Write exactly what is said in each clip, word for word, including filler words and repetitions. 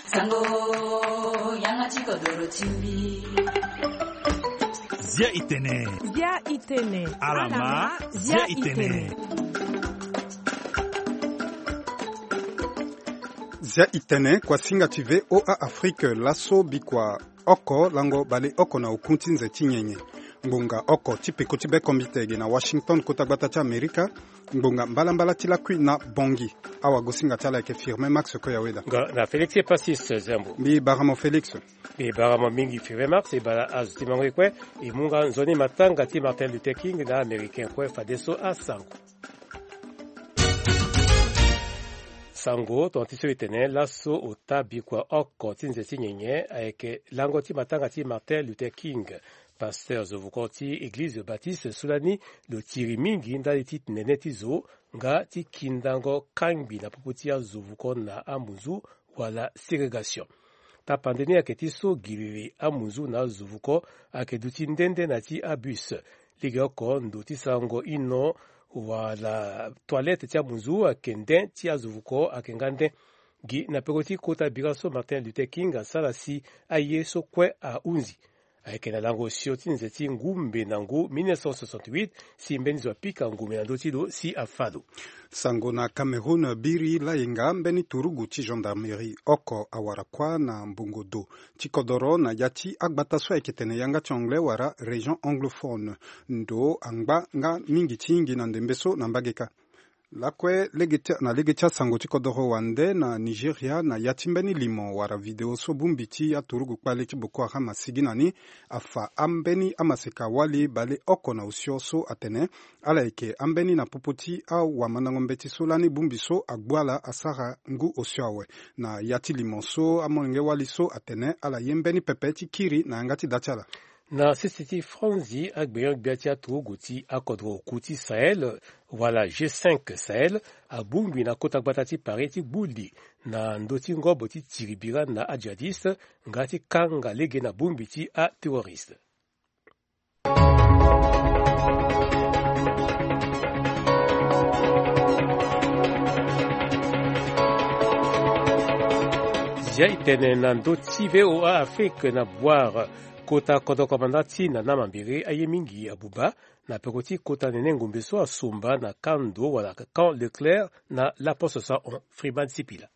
Sango, yanga ti kodoro ti mbi. Zia itene. Zia itene. Alama, zia itene. Zia itene, kuasinga ti V O A Afrique, laso bikua oko lango baleoko na oku ti nze ti nyenye. Ngbonga oko ti peko ti bekombite ge na Washington, kota gbata ti Amerika. Ngbonga mbalambala ti lakui na Bangui. Awagosinga ti ala ayeke Firmin Max Koyaweda. Nga na Félix Epasis Zembo. Mbi bara mo Félix. Mbi bara mo mingi Firmin Max, e bara azo ti mango e kue. E mu nga nzoni matanga ti Martin Luther King na Américain kue, fadeso asango. Sango, tonga ti so e tene laso ota bikua oko ti nze ti nyenye ayeke lango ti matanga ti Martin Luther King, pasteur zovuko ti eglize baptiste so lani lo tiri mingi ndali ti nene ti zo nga ti kindango kangbi na popo ti azovuko na amunzu wala ségrégation. Tapande ni ayeke ti so giriri amunzu na azovuko ayeke duti nde nde na ya ti abus. Lege oko ndo ti sarango ino wala toilette ti amunzu ayeke nde, ti azovuko ayeke nga nde. Gi na peko ti kota bira so Martin Luther King asara si aye so kue ahunzi. Ayeke na lango osio ti nze ti ngumbe na ngu mille neuf cent soixante-huit, si mbeni zo apika ngumbe na ndö ti lo si afa lo. Sango na Cameroun, biri layenga mbeni turugu ti gendarmerie oko awara kuâ na mbongo do ti kodoro na ya ti agbata so ayeke tene yanga ti anglais wala région anglophone. Ndo angba nga mingi ti hingi na ndembe so na mbage kâ. Lakue lege ti, na lege ti asango ti kodoro wande na Nigeria, na ya ti mbeni limo wala video so bongbi ti aturugu kpale ti Boko Haram asigi na ni, afa ambeni amaseka wali baleoko na osio so atene ala yeke ambeni na popo ti awamandango mbeti so lani bongbi so agbu ala asara ngu osio awe. Na ya ti limo so amolenge wali so atene ala ye mbeni pepe ti kiri na yanga ti da ti ala. Na sese ti Franzi, agbenyo-gbia ti aturugu ti akodro oku ti Sahel wala G cinq Sahel abongbi na kota gbata ti Paris ti gbu li na ndö ti ngobo ti tiri bira na ajihadiste nga ti kanga lege na bongbi ti aterroriste. Zia itene na ndö ti V O A Afrique na Bouar, kota kodro komanda ti Nana Mambéré aye mingi abuba na peko ti kota nene ngombe so asomba na kando wala camp Leclerc na laposo so ahon. Freeman Sipila.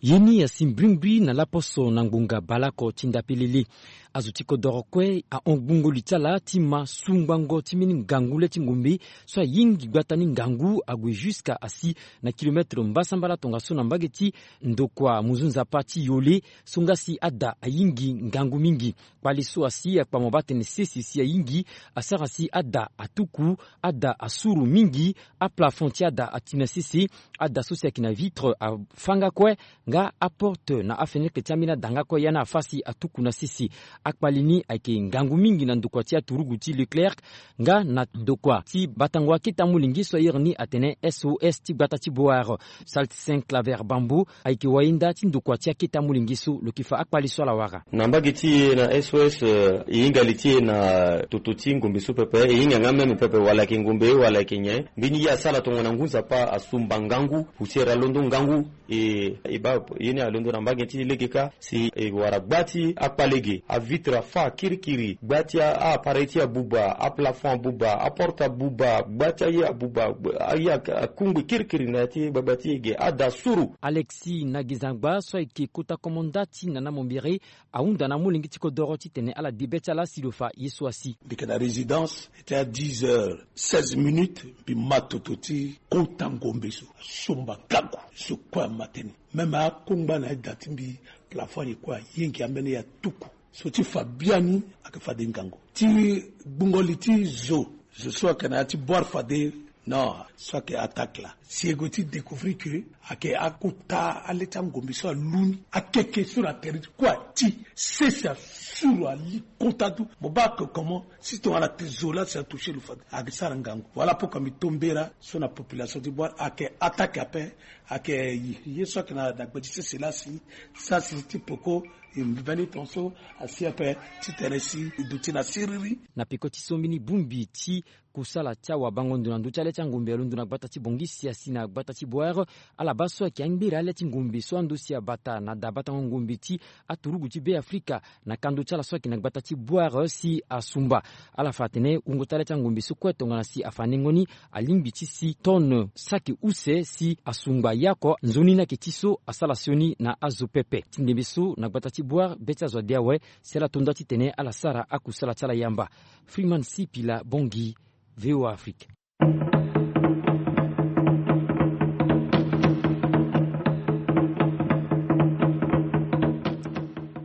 Ye ni asi mbrimbri na laposo na ngbonga baleoko ti ndapelele. Azo ti kodoro kue ahon gbungo li ti ala ti ma sungbango ti mbeni ngangu le ti ngombe so ayingi gbata ni ngangu ague jusqu'à asi na kilomètre mbasambala tongaso na mbage ti ndokua munzu nzapa ti Yole, so nga si ada ayingi ngangu mingi. Kpale so asi akpama baa tene sese si ayingi asara si ada atuku, ada asuru mingi, aplafond ti ada ati na sese, ada so si ayeke na vitre afa nga kue, nga aporte na afenêtre ti ambeni ada nga kue ya ni afa si atuku na sese. Akpale ni ayeke ngangu mingi na ndokua ti aturugu ti Leclerc, nga na ndokua ti batango akete amolenge so airi ni atene S O S ti gbata ti Bouar. Saltsin Claver Bambo ayeke wayenda ti ndokua ti akete amolenge so, lo yeke fa akpale so ala wara. Na mbage ti e na S O S, eh, e hinga li ti e na toto ti ngombe so pepe, e hinga nga même pepe wala ayeke ngombe wala ayeke nyen. Mbeni ye asara tongana ngu nzapa asumba ngangu, poussière alondo ngangu, e, e baa ye ni alondo na mbage ti e lege kâ. Si e wara gba ti akpale ge, avitre afa kirikiri, gba ti a, a-appareil ti e abuba, aplafond abuba, aporte abuba, gba ti aye abuba, gba, aye ak-, akungbi kirikiri na ya ti gbagba ti e ge, ada suru. Alexis Nagizangba so ayeke kota komanda ti Nana Mombere ahunda na amolenge ti kodoro titene ala debe ti ala si lo fa ye so asi. Mbi yeke na résidence, e ti a dix heures seize minutes, mbi ma toto ti kota ngombe so, asomba ngangu, zo kue ama tënë. Même akongba na eda ti mbi, plafond aye kue ayengi ambeni ya tuku. So ti fa biani ayeke fade ngangu. Ti gbungo li ti zo, zo so ayeke na ya ti Bouar fade, non, so ayeke attaque laa. Si e gue ti découvrir que ayeke akota ale ti angombe so alu ni, akeke so na tere ti kue ati, sese asuru ali kota tout. Mo baa que comment, si tongana ate zo laa si atoucher lo fade, ayeke sara ngangu. Voilà pourquoi mbi to mbela so na population ti Bouar, ayeke attaque ape, Ayeke ye so ayeke na gbe ti sese laa si sasi ti peko e mbeni tongaso asi ape titene si e duti na siriri. Na peko ti so mbeni bongbi ti kusala ti awabango ndo na ndö ti ale ti angombe alondo na gbata ti Bangui si asi na gbata ti Bouar. Ala baa so ayeke angbere ale ti ngombe so ando si abata na dabatango ngombe ti aturugu ti Be Afrika na kando ti ala so ayeke na gbata ti Bouar si asumba. Ala fa atene wungo ti ale ti angombe so kue tongana si afa nengo ni alingbi ti si tonne saki use si asungba ye oko. Nzoni ni ayeke ti so asara sioni na azo pepe ti ndembe so na gbata ti Bouar be ti azo ade awe si ala to nda titene ala sara akusala ti ala yamba. Freeman Sipila, Bangui, V O A Afrique.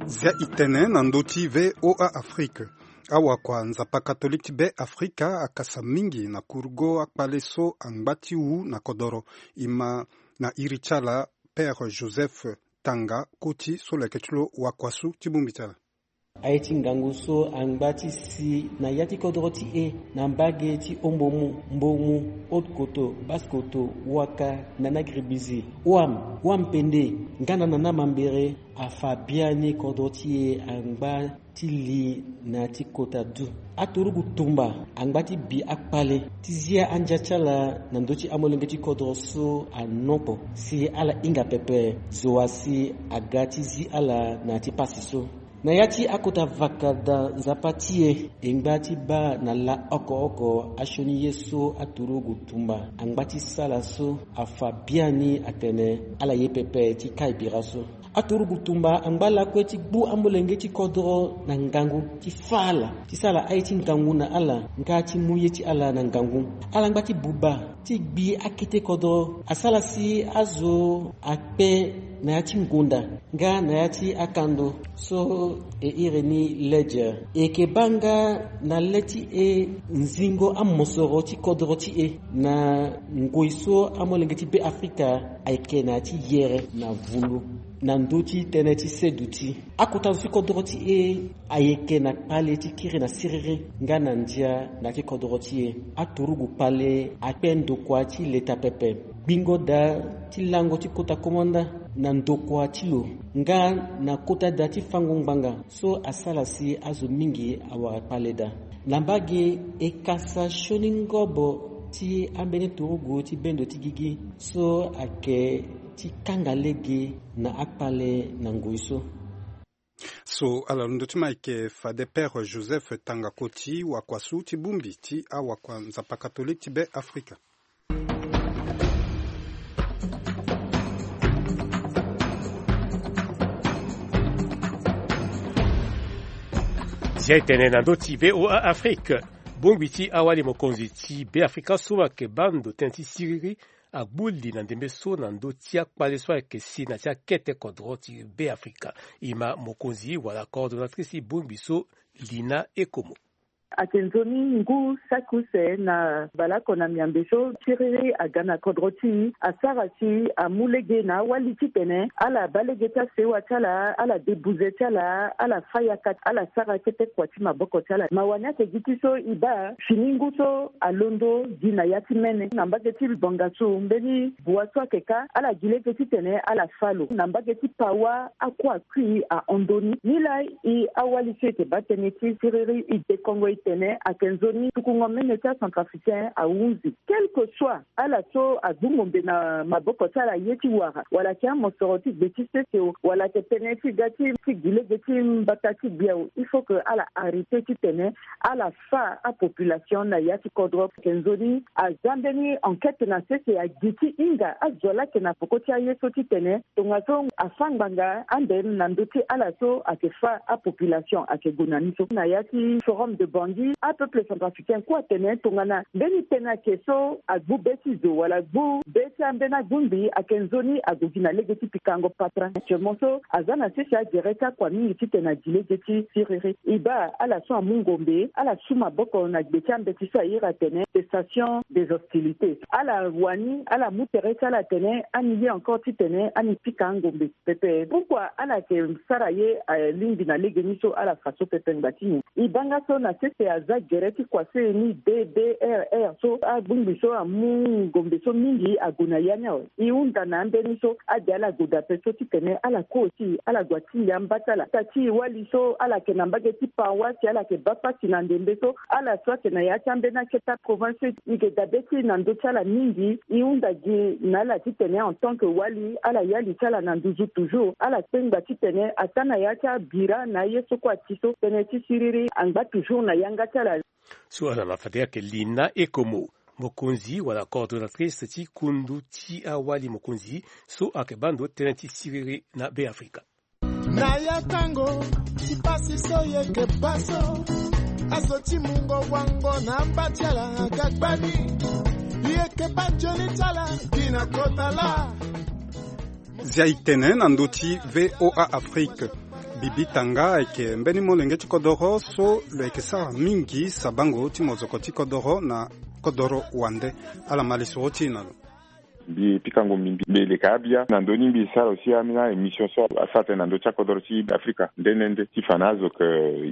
Zia itene na ndö ti V O A Afrique. Awakua Nzapa Katolike ti Be Afrika akasa mingi na kurugo akpale so angba ti wu na kodoro. E ma na iri ti ala Père Joseph Tanga Koti so lo yeke ti lo wakuasu ti bongbi ti ala. Aye ti ngangu so angba ti si na ya ti kodoro ti e na mbage ti Ombomu, Mbomu, Haute-Kotto, Basse-Kotto, Ouaka, Nana-Gribizi, Ouham, Ouham-Pendé, nga na Nana-Mambéré, afa biani kodoro ti e angba ti li na ya ti kota du. Aturugu tumba angba ti bi akpale ti zia andia ti ala na ndö ti amolenge ti kodoro so anoko si ala hinga pepe zo wa si aga ti zi ala na ya ti pasi so. Na ya ti akota vakada Nzapa ti e, e ngba ti baa na lâ oko oko asioni ye so aturugu tumba angba ti sara so afa biani atene ala ye pepe ti kai bira so. Aturugu tumba angba lakue ti gbu amolenge ti kodoro na ngangu ti fâ ala ti sara aye ti ngangu na ala nga ti mu ye ti ala na ngangu. Ala ngba ti buba ti gbi akete kodoro asara si azo akpe na ya ti ngonda nga na ya ti akando so e iri ni ledger. E yeke baa nga na le ti e nzingo amosoro ti kodoro ti e na ngoi so amolenge ti Be Afrika ayeke na ya ti yere na vundu na ndö ti tënë ti seduti. Akota zo ti kodoro ti e ayeke na kpale ti kiri na siriri nga na ndia na ya ti kodoro ti e. Aturugu kpale akpe ndokua ti leta pepe. Gbingo daa ti lango ti kota komanda na ndokua ti lo nga na kota daa ti fango ngbanga so asara si azo mingi awara kpale daa. Na mbage e kasa sioni ngobo ti ambeni turugu ti bendo ti gigi so ayeke ti kanga lege na akpale na ngoi so. So ala londo ti ma ayeke fade Père Joseph Tanga Koti, wakuasu ti bongbi ti awakua Nzapa Katolike ti Be Afrika. Zia e tene na ndö ti V O A Afrique. Bongbi ti awali mokonzi ti Be Afrika so ayeke baa ndo tënë ti siriri agbu li na ndembe so na ndö ti akpale so ayeke si na ti akete kodro ti Be Afrika. E ma mokonzi wala coordonnatrice ti bongbi so, Lina Ekomo. Ayeke nzoni ngu saki use na baleoko na miambe so siriri aga na kodro ti e asara si amu lege na awali titene ala baa lege ti asewa ti ala, ala debuze ti ala, ala fâ yaka, ala sara kete kua ti maboko ti ala. Mawa ni ayeke gi ti so e baa fini ngu so alondo gi na ya ti mene na mbage ti Bangassou, mbeni bua so ayeke kâ ala gi lege titene ala fâ lo na mbage ti Pawa, akua kui ahon ndoni. Nilaa e awali so e yeke baa tënë ti siriri e dekongo e tene ayeke nzoni tukungo mene ti acentrafricain ahunzi. Quel que soit ala so agbu ngombe na maboko ti ala ye ti wara wala ayeke amosoro ti gbe ti sese o wala ayeke tënë ti ga ti gi lege ti mbata ti gbia o, il faut que ala arrêter titene ala fâ apopulation na ya ti kodro. Ayeke nzoni aza mbeni enquête na sese agi ti hinga azo laa ayeke na peko ti aye so titene tongaso afâ ngbanga ande na ndö ti ala so ayeke fâ apopulation ayeke gue na ni so. Na ya ti Forum de Bangui, apeuple centrafricain kue atene tongana mbeni tënë ayeke so agbu be ti zo wala agbu be ti ambeni agungbi ayeke nzoni ague gi na lege ti pikango patara. Actuellement so aza na sese agere ti akua mingi titene agi lege ti siriri. E baa ala so amu ngombe ala su maboko na gbe ti ambeti so a iri atene cessation des hostilités. Ala wani ala mu tere ti ala atene ani ye encore titene ani pika angombe pepe. Pourquoi ala yeke sara ye alingbi na lege ni so ala fa so pepe ngba ti nyen? E baa nga so na sese Te aza gere ti kuase ni D D R R so agbongbi so amu ngombe so mingi ague na ya ni awe. E hunda na ambeni so ade ala gue daa ape so titene ala kue aussi ala gue atingbi amba ti ala. Ata ti e wali so ala yeke na mbage ti Paroisse, ala yeke baa pasi na ndembe so ala so ayeke na ya ti ambeni akete aprovince so e yeke dabe ti e na ndö ti ala mingi. E hunda gi na ala titene en tant que wali ala ya li ti ala na nduzu toujours, ala kpengba titene ataa na ya ti abira na aye so kue ati so tënë ti siriri angba toujours na yanga ti ala. So ala na fade ayeke Lina Ekomo, mokonzi wala coordonnatrice ti kundu ti awali mokonzi so ayeke baa ndo tënë ti siriri na Beafrika. Na ya tango ti pasi so yeke baa so, azo ti mungo wango na amba ti ala aga gbani. Yeke baa nzoni ti ala gi na kota laa. Zia e tene na ndö ti V O A Afrique. Bibi Tanga ayeke mbeni molenge ti kodoro so lo yeke sara mingi sabango ti mozoko ti kodoro na kodoro wande. Ala ma lisoro ti e na lo. Mbi pikango mbi mbi mbi leka abia na ndö ni mbi sara aussi ambeni émission so asara tene na ndö ti akodoro ti Afrika nde nde nde ti fa na azo ke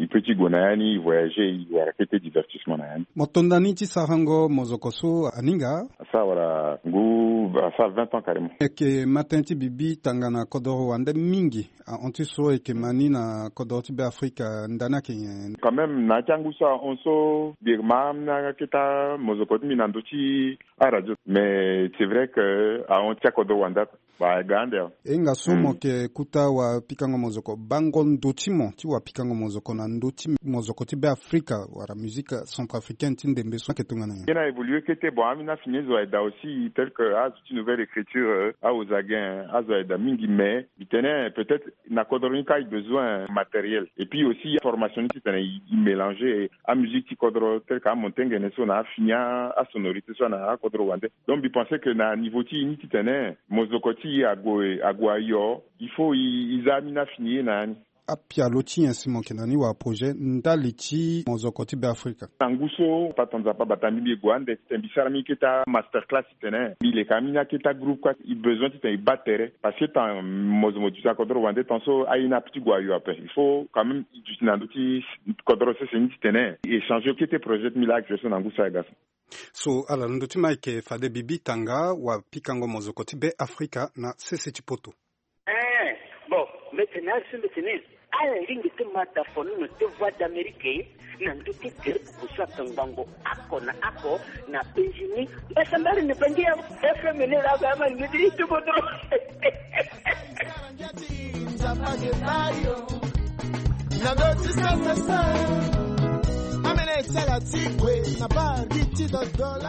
e peut ti gue na ya ni, e voyager, e wara kete divertissement na ya ni. Mo to nda ni ti sarango mozoko so aninga? Asara wala ngu asara vingt ans carrément. E yeke ma tënë ti Bibi Tanga na kodoro wande mingi. Ahon ti so e yeke ma ni na kodoro ti Beafrika ndani ayeke nyen? Quand même na ya ti angu so ahon so mbi yeke ma ambeni akete amozoko ti mbi na ndö ti aradio. Mais c'est vrai que ahon ti akodoro wande aba aga ande awe. E hinga so mo yeke kuta wapikango mozoko, bango ndo ti mo ti wapikango mozoko na ndö ti mozoko ti Beafrika wala musique centrafricaine ti ndembe so ayeke tongana nyen? Nyen na évoluer kete, bon, ambeni afini azo ayeke daa aussi tel que azo ti nouvelle écriture, euh, aozagen, azo ayeke daa mingi, mais mbi tene peut-être na kodoro ni kâ e besoin matériel et puis aussi formation ni titene e mélanger amusique ti kodro tel que amontengene so na afini asonorité so na akodro wande. Donc mbi pense que na niveau ti e ni titene mozoko ti e ague ague ayo, il faut e za ambeni afini ye na ya ni. Apialo ti nyen si mo yeke na ni wala projet ndali ti mozoko ti Beafrika? Na ngu so papa Nzapa abata mbi, mbi gue ande titene mbi sara mbi kete amaster class titene mbi leka ambeni akete agroupe kue. E besoin titene e baa tere parce que tant mo zo mo duti na kodro wande tant so aye ni ape ti gue ayo ape. Il faut quand même e duti na ndö ti kodro sese ni titene e échanger kete projet ti mbi laa actuel so na ngu so ayeke ga so. So ala na ndö ti mo ayeke fade Bibi Tanga wapikango mozoko ti Beafrika na sese ti poto. Eh, bon, mbi tene ari so mbi tene ala lingbi ti ma dafono na ti Voix d'Amérique na ndö ti gere buku so ayeke ngbongo oko na oko na penzi ni. Mbasambala na bangi ya F M ni laa ba ama ni ti ti kodro.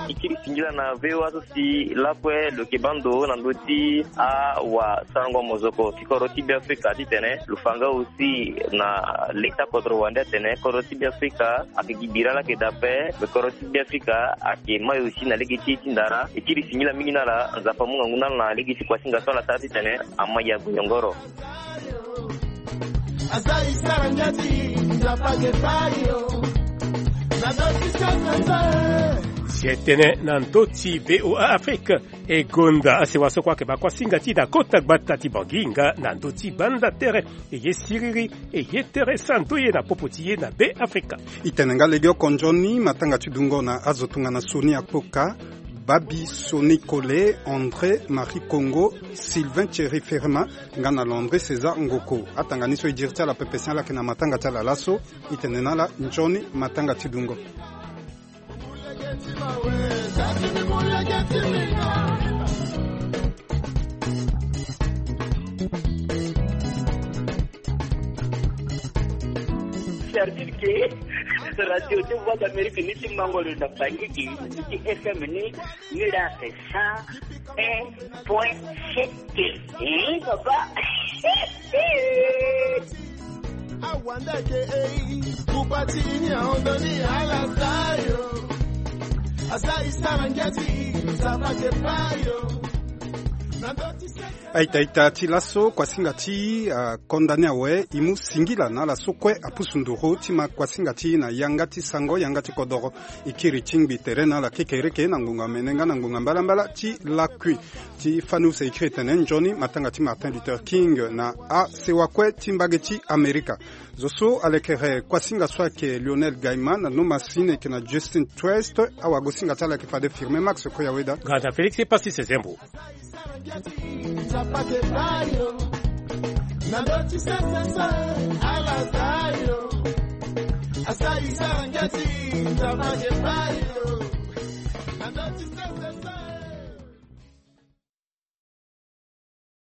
E kiri singila na V O A so si lakue lo yeke baa ndo na ndö ti awasarango mozoko ti kodro ti Beafrika titene lo fa nga aussi na le ti akodro wande atene kodro ti Beafrika ayeke gi bira laa ayeke daa ape. Me kodro ti Beafrika ayeke mai aussi na lege ti e ti ndara. E kiri singila mingi na ala, Nzapa amu ngangu na ala na lege ti kuasinga so ala sara titene ama ya gue yongoro. Aza e sara ngia ti Nzapa ge bayo. Na ndö ti sasa nza. Si e tene na ndö ti V O A Afrique, e gonda asewa so kue ayeke baa kuasinga ti e na kota gbata ti Bangui nga na ndö ti banda tere. E ye siriri, e ye tere santo ye na popo ti ye na Beafrika. E tene nga legeoko nzoni matanga ti dungo na azo tongana Soni Akpoka, Babi Soni Kole, André Marie Congo, Sylvain Thierry Ferma, nga na Landry César Ngoko. Atanga ni so e diri ti ala pepe si ala yeke na matanga ti ala laso. E tene na ala nzoni matanga ti dungo. C'est-à-dire que radio de Voix d'Amérique ni ti mango lo na Bangui, ni ti F M ni, ni la c'est cent un point sept. Eh, papa. Awandeke ei, kupati ini aondoni ala sayo. Asa isara ngiati, Nzapa ke bayo. Na ndö ti Aita-ita ti laso kuasinga ti, ah, condamné awe, e mu singila na ala so kue apusu nduru ti ma kuasinga ti e na yanga ti sango, yanga ti kodoro. E kiri ti ngbi tere na ala kekereke na ngbonga mene nga na ngbonga mbalambala ti lakui. Ti fani use e kiri tene nzoni matanga ti Martin Luther King na asewa kue ti mbage ti Amerika. Zo so alekere kuasinga so ayeke Lionel Gaiman, na Noma Sine ayeke na Justin Twist. Awagosinga ti ala ayeke fade Firme Max Koyaweda. Gada Félix Pasi Sezembo.